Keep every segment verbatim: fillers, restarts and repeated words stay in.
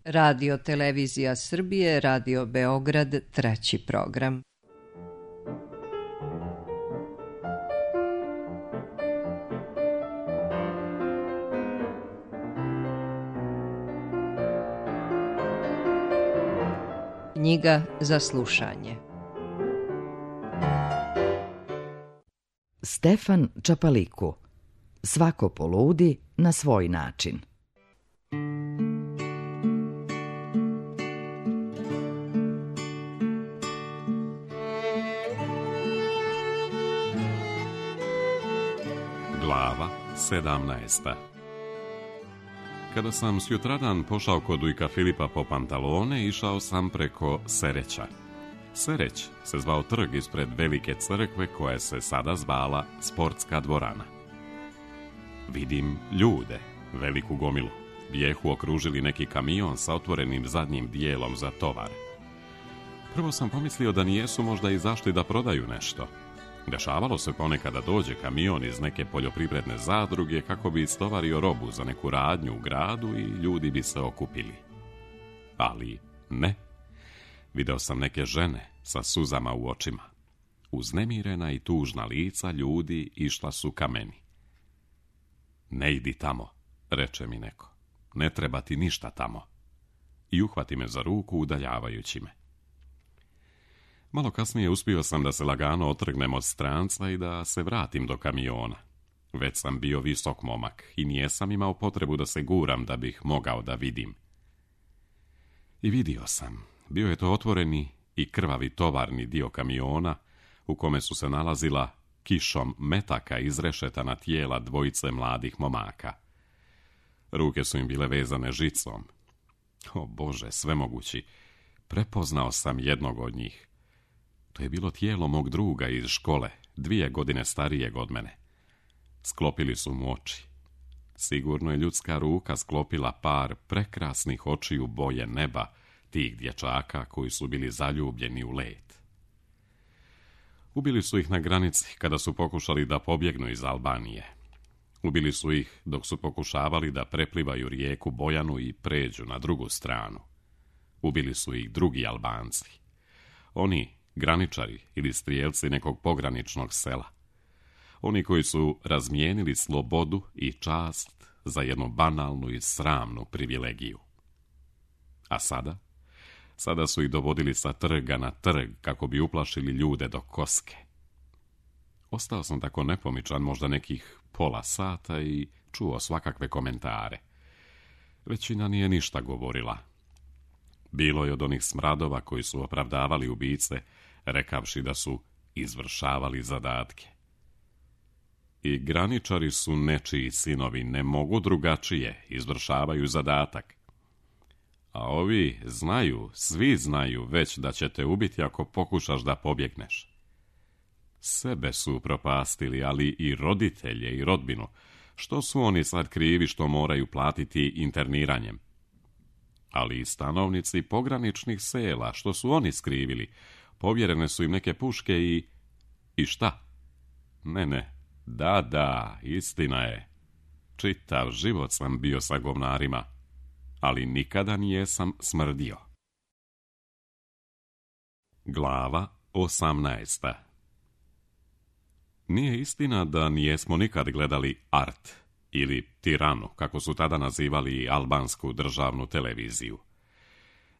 Radio Televizija Srbije, Radio Beograd, treći program. Knjiga za slušanje. Stefan Čapaliku. Svako poludi na svoj način. Glava sedamnaesta. Kada sam sutradan pošao kod ujka Filipa po pantalone, išao sam preko Sereća. Sereć se zvao trg ispred velike crkve koja se sada zvala Sportska dvorana. Vidim ljude, veliku gomilu. Bijehu okružili neki kamion sa otvorenim zadnjim dijelom za tovar. Prvo sam pomislio da nijesu možda izašli da prodaju nešto. Dešavalo se ponekad da dođe kamion iz neke poljoprivredne zadruge kako bi istovario robu za neku radnju u gradu i ljudi bi se okupili. Ali ne. Video sam neke žene sa suzama u očima. Uznemirena i tužna lica ljudi išla su ka meni. Ne idi tamo, reče mi neko. Ne treba ti ništa tamo. I uhvati me za ruku udaljavajući me. Malo kasnije uspio sam da se lagano otrgnem od stranca i da se vratim do kamiona. Već sam bio visok momak i nijesam imao potrebu da se guram da bih mogao da vidim. I vidio sam. Bio je to otvoreni i krvavi tovarni dio kamiona u kome su se nalazila kišom metaka izrešetana tijela dvojice mladih momaka. Ruke su im bile vezane žicom. O Bože, svemogući, prepoznao sam jednog od njih. To je bilo tijelo mog druga iz škole, dvije godine starijeg od mene. Sklopili su mu oči. Sigurno je ljudska ruka sklopila par prekrasnih očiju boje neba, tih dječaka koji su bili zaljubljeni u let. Ubili su ih na granici kada su pokušali da pobjegnu iz Albanije. Ubili su ih dok su pokušavali da preplivaju rijeku Bojanu i pređu na drugu stranu. Ubili su ih drugi Albanci. Oni, graničari ili strijelci nekog pograničnog sela. Oni koji su razmijenili slobodu i čast za jednu banalnu i sramnu privilegiju. A sada? Sada su ih dovodili sa trga na trg kako bi uplašili ljude do koske. Ostao sam tako nepomičan možda nekih pola sata i čuo svakakve komentare. Većina nije ništa govorila. Bilo je od onih smradova koji su opravdavali ubice, rekavši da su izvršavali zadatke. I graničari su nečiji sinovi, ne mogu drugačije, izvršavaju zadatak. A ovi znaju, svi znaju već da će te ubiti ako pokušaš da pobjegneš. Sebe su propastili, ali i roditelje i rodbinu. Što su oni sad krivi što moraju platiti interniranjem? Ali i stanovnici pograničnih sela, što su oni skrivili? Povjerene su im neke puške i... I šta? Ne, ne, da, da, istina je. Čitav život sam bio sa govnarima, ali nikada nijesam smrdio. Glava osamnaesta. Nije istina da nijesmo nikad gledali Art ili Tiranu, kako su tada nazivali albansku državnu televiziju.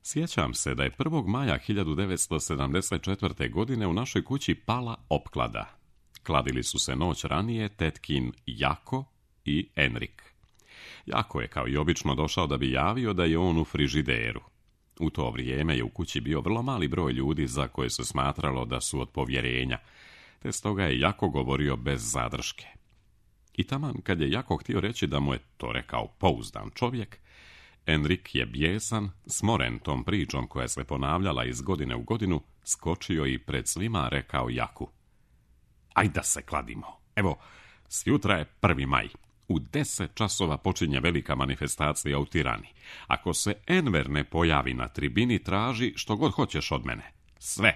Sjećam se da je prvog maja hiljadu devetsto sedamdeset četvrte. godine u našoj kući pala opklada. Kladili su se noć ranije tetkin Jako i Enrik. Jako je kao i obično došao da bi javio da je on u frižideru. U to vrijeme je u kući bio vrlo mali broj ljudi za koje se smatralo da su od povjerenja, te stoga je Jako govorio bez zadrške. I taman kad je Jako htio reći da mu je to rekao pouzdan čovjek, Enrik je bijesan, smoren tom pričom koja se ponavljala iz godine u godinu, skočio i pred svima rekao Jaku: "Aj da se kladimo. Evo, sjutra je prvi maj. U deset časova počinje velika manifestacija u Tirani. Ako se Enver ne pojavi na tribini, traži što god hoćeš od mene. Sve.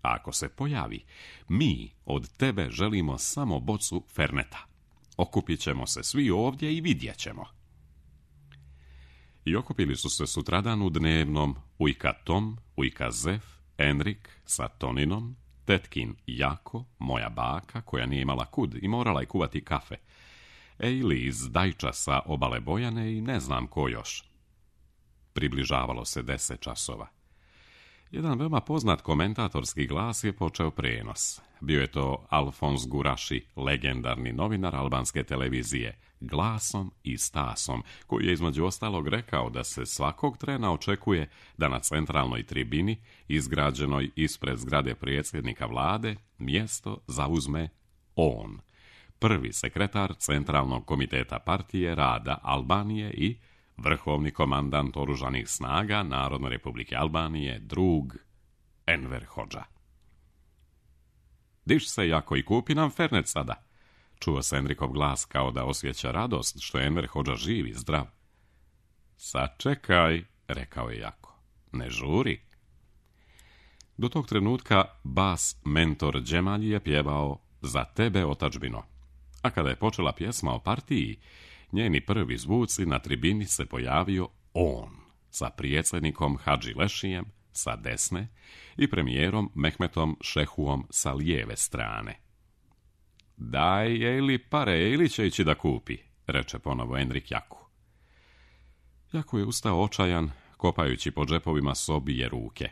A ako se pojavi, mi od tebe želimo samo bocu Ferneta. Okupit ćemo se svi ovdje i vidjet ćemo." I okupili su se sutradan u dnevnom ujka Tom, ujka Zef, Enrik sa Toninom, tetkin Jako, moja baka koja nije imala kud i morala je kuvati kafe, Ejli iz Dajča sa obale Bojane i ne znam ko još. Približavalo se deset časova. Jedan veoma poznat komentatorski glas je počeo prenos. Bio je to Alfons Guraši, legendarni novinar albanske televizije, glasom i stasom, koji je između ostalog rekao da se svakog trena očekuje da na centralnoj tribini, izgrađenoj ispred zgrade predsjednika vlade, mjesto zauzme on, prvi sekretar Centralnog komiteta partije rada Albanije i vrhovni komandant oružanih snaga Narodne republike Albanije, drug Enver Hodža. Diš se, Jako, i kupi nam fernet sada. Čuo se Enrikov glas kao da osjeća radost što je Enver Hodža živ i zdrav. Sačekaj, rekao je Jako, ne žuri. Do tog trenutka bas mentor Džemalji je pjevao Za tebe, otadžbino. A kada je počela pjesma o partiji, njeni prvi zvuci na tribini se pojavio on, sa predsjednikom Hadži Lešijem sa desne i premijerom Mehmetom Šehuom sa lijeve strane. Daj, Ejli, pare, Ejli će ići da kupi, reče ponovo Enrik Jaku. Jaku je ustao očajan, kopajući po džepovima s obje ruke.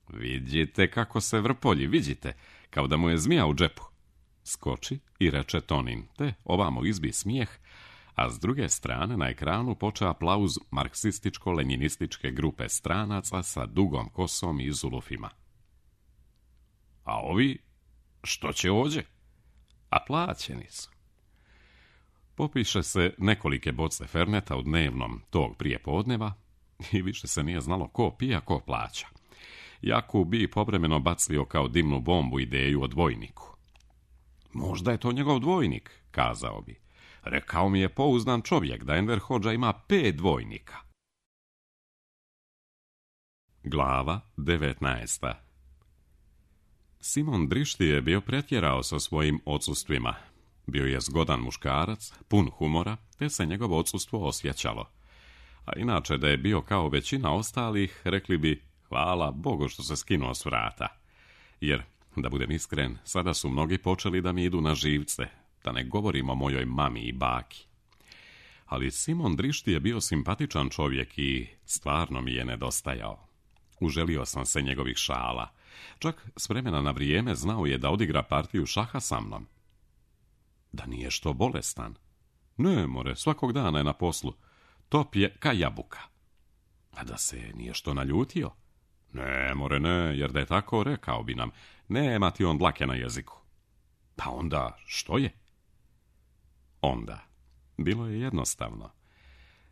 Vidite kako se vrpolji, vidite, kao da mu je zmija u džepu. Skoči i reče Tonin, te ovamo izbi smijeh, a s druge strane na ekranu počeo aplauz marksističko-lenjinističke grupe stranaca sa dugom kosom i zulufima. A ovi, što će ovdje? A plaćeni su. Popiše se nekolike boce ferneta u dnevnom tog prije podneva i više se nije znalo ko pija, ko plaća. Jaku bi povremeno bacio kao dimnu bombu ideju o dvojniku. Možda je to njegov dvojnik, kazao bi. Rekao mi je pouzdan čovjek da Enver Hodža ima pet dvojnika. Glava devetnaesta. Simon Drišti je bio pretjerao sa svojim odsustvima. Bio je zgodan muškarac, pun humora, te se njegovo odsustvo osjećalo. A inače da je bio kao većina ostalih, rekli bi hvala Bogu što se skinuo s vrata. Jer, da budem iskren, sada su mnogi počeli da mi idu na živce, da ne govorim o mojoj mami i baki. Ali Simon Drišti je bio simpatičan čovjek i stvarno mi je nedostajao. Uželio sam se njegovih šala. Čak s vremena na vrijeme znao je da odigra partiju šaha sa mnom. Da nije što bolestan. Ne, more, svakog dana je na poslu. Top je ka jabuka. A da se nije što naljutio? Ne, more, ne, jer da je tako rekao bi nam, nema ti on dlake na jeziku. Pa onda, što je? Onda, bilo je jednostavno.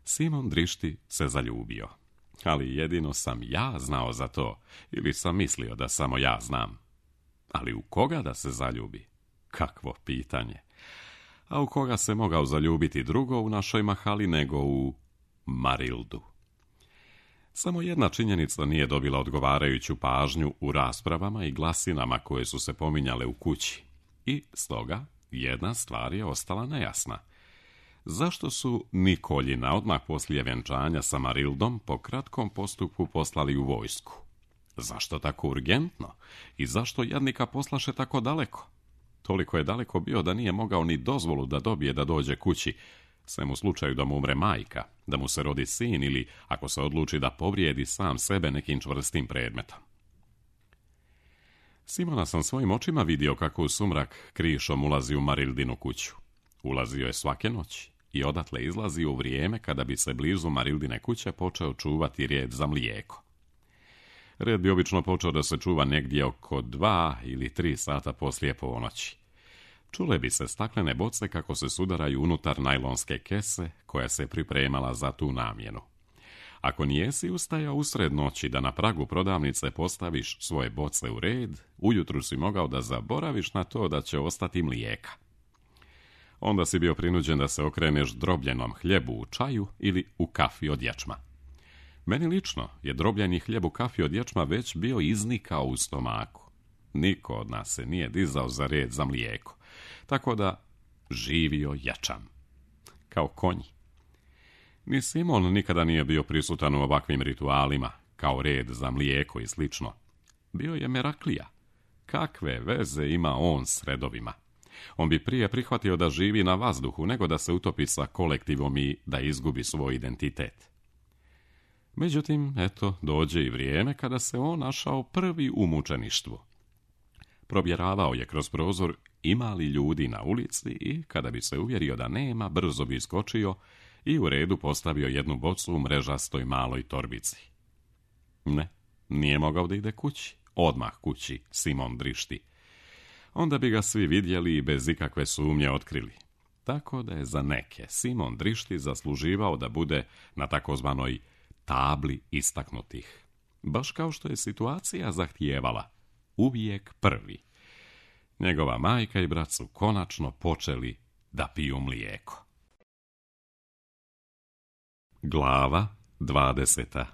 Simon Drišti se zaljubio. Ali jedino sam ja znao za to, ili sam mislio da samo ja znam. Ali u koga da se zaljubi? Kakvo pitanje. A u koga se mogao zaljubiti drugo u našoj mahali nego u Marildu? Samo jedna činjenica nije dobila odgovarajuću pažnju u raspravama i glasinama koje su se pominjale u kući. I stoga jedna stvar je ostala nejasna. Zašto su Nikoljina odmah poslije vjenčanja sa Marildom po kratkom postupku poslali u vojsku? Zašto tako urgentno? I zašto jadnika poslaše tako daleko? Toliko je daleko bio da nije mogao ni dozvolu da dobije da dođe kući, sem u slučaju da mu umre majka, da mu se rodi sin ili ako se odluči da povrijedi sam sebe nekim čvrstim predmetom. Simona sam svojim očima vidio kako u sumrak krišom ulazi u Marildinu kuću. Ulazio je svake noći i odatle izlazi u vrijeme kada bi se blizu Marildine kuće počeo čuvati red za mlijeko. Red bi obično počeo da se čuva negdje oko dva ili tri sata poslije ponoći. Čule bi se staklene boce kako se sudaraju unutar najlonske kese koja se pripremala za tu namjenu. Ako nijesi ustajao usred noći da na pragu prodavnice postaviš svoje boce u red, ujutru si mogao da zaboraviš na to da će ostati mlijeka. Onda si bio prinuđen da se okreneš drobljenom hljebu u čaju ili u kafi od ječma. Meni lično je drobljeni hljeb u kafi od ječma već bio iznikao u stomaku. Niko od nas se nije dizao za red za mlijeko, tako da živio ječam. Kao konji. Ni Simon nikada nije bio prisutan u ovakvim ritualima, kao red za mlijeko i slično. Bio je Meraklija. Kakve veze ima on s redovima? On bi prije prihvatio da živi na vazduhu, nego da se utopi sa kolektivom i da izgubi svoj identitet. Međutim, eto, dođe i vrijeme kada se on našao prvi u mučeništvu. Probjeravao je kroz prozor ima li ljudi na ulici i, kada bi se uvjerio da nema, brzo bi iskočio i u redu postavio jednu bocu u mrežastoj maloj torbici. Ne, nije mogao da ide kući. Odmah kući, Simon drišti. Onda bi ga svi vidjeli i bez ikakve sumnje otkrili. Tako da je za neke Simon drišti zasluživao da bude na takozvanoj tabli istaknutih. Baš kao što je situacija zahtijevala. Uvijek prvi. Njegova majka i brat su konačno počeli da piju mlijeko. Glava dvadeseta.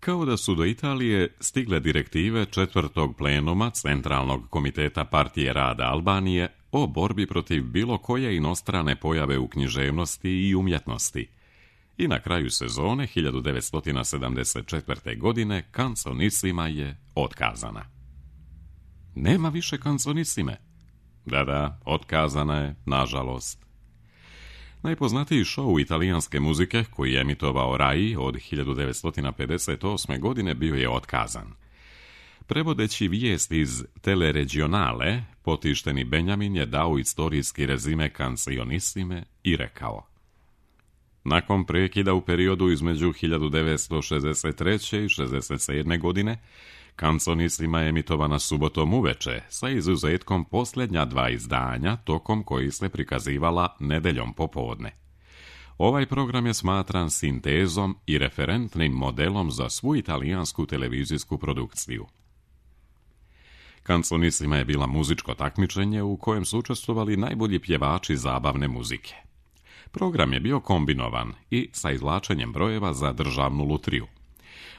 Kao da su do Italije stigle direktive četvrtog plenuma Centralnog komiteta Partije rada Albanije o borbi protiv bilo koje inostrane pojave u književnosti i umjetnosti. I na kraju sezone hiljadu devetsto sedamdeset četvrte. godine kanconisima je otkazana. Nema više kanconisime. Da, da, otkazana je, nažalost. Najpoznatiji šou italijanske muzike, koji je emitovao Rai od hiljadu devetsto pedeset osme. godine, bio je otkazan. Prevodeći vijest iz Teleregionale, potišteni Benjamin je dao istorijski rezime kancionisime i rekao: nakon prekida u periodu između hiljadu devetsto šezdeset treće. i šezdeset sedme. godine, kanconisima je emitovana subotom uveče, sa izuzetkom posljednja dva izdanja, tokom koji se prikazivala nedeljom popodne. Ovaj program je smatran sintezom i referentnim modelom za svu italijansku televizijsku produkciju. Kanconisima je bila muzičko takmičenje u kojem su učestvovali najbolji pjevači zabavne muzike. Program je bio kombinovan i sa izvlačenjem brojeva za državnu lutriju.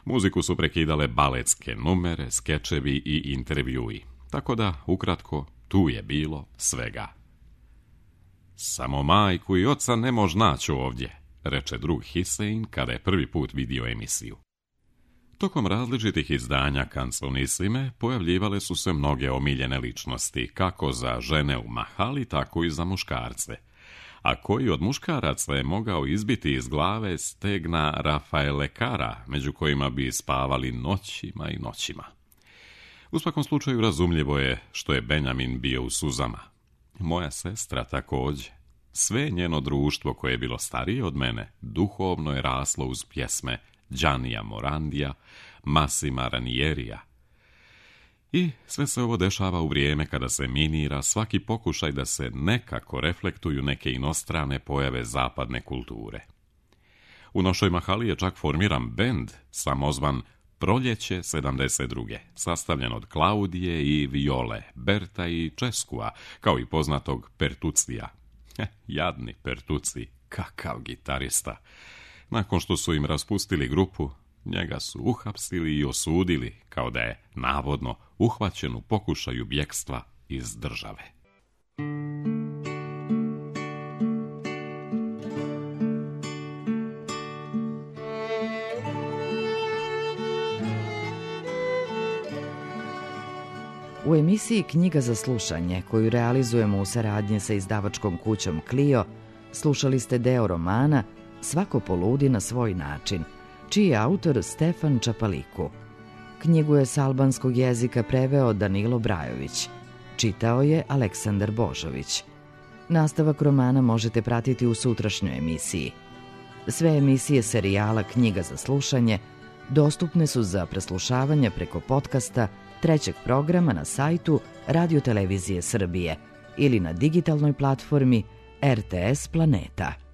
Muziku su prekidale baletske numere, skečevi i intervjui. Tako da, ukratko, tu je bilo svega. Samo majku i oca ne mož naći ovdje, reče drug Hisein kada je prvi put vidio emisiju. Tokom različitih izdanja kanconisime pojavljivale su se mnoge omiljene ličnosti, kako za žene u mahali, tako i za muškarce. A koji od muškaraca je mogao izbiti iz glave stegna Rafaele Cara, među kojima bi spavali noćima i noćima. U svakom slučaju razumljivo je što je Benjamin bio u suzama. Moja sestra također. Sve njeno društvo koje je bilo starije od mene duhovno je raslo uz pjesme Giannija Morandija, Massima Ranierija. I sve se ovo dešava u vrijeme kada se minira svaki pokušaj da se nekako reflektuju neke inostrane pojave zapadne kulture. U našoj mahali je čak formiran bend samozvan Proljeće sedamdeset druge, sastavljen od Klaudije i Viole, Berta i Českua, kao i poznatog Pertucija. Heh, jadni Pertuci, kakav gitarista. Nakon što su im raspustili grupu, njega su uhapsili i osudili, kao da je, navodno, uhvaćen u pokušaju bjekstva iz države. U emisiji Knjiga za slušanje, koju realizujemo u saradnji sa izdavačkom kućom Clio, slušali ste deo romana Svako poludi na svoj način, čiji je autor Stefan Čapaliku. Knjigu je s albanskog jezika preveo Danilo Brajović. Čitao je Aleksandar Božović. Nastavak romana možete pratiti u sutrašnjoj emisiji. Sve emisije serijala Knjiga za slušanje dostupne su za preslušavanje preko podcasta trećeg programa na sajtu Radio Televizije Srbije ili na digitalnoj platformi R T S Planeta.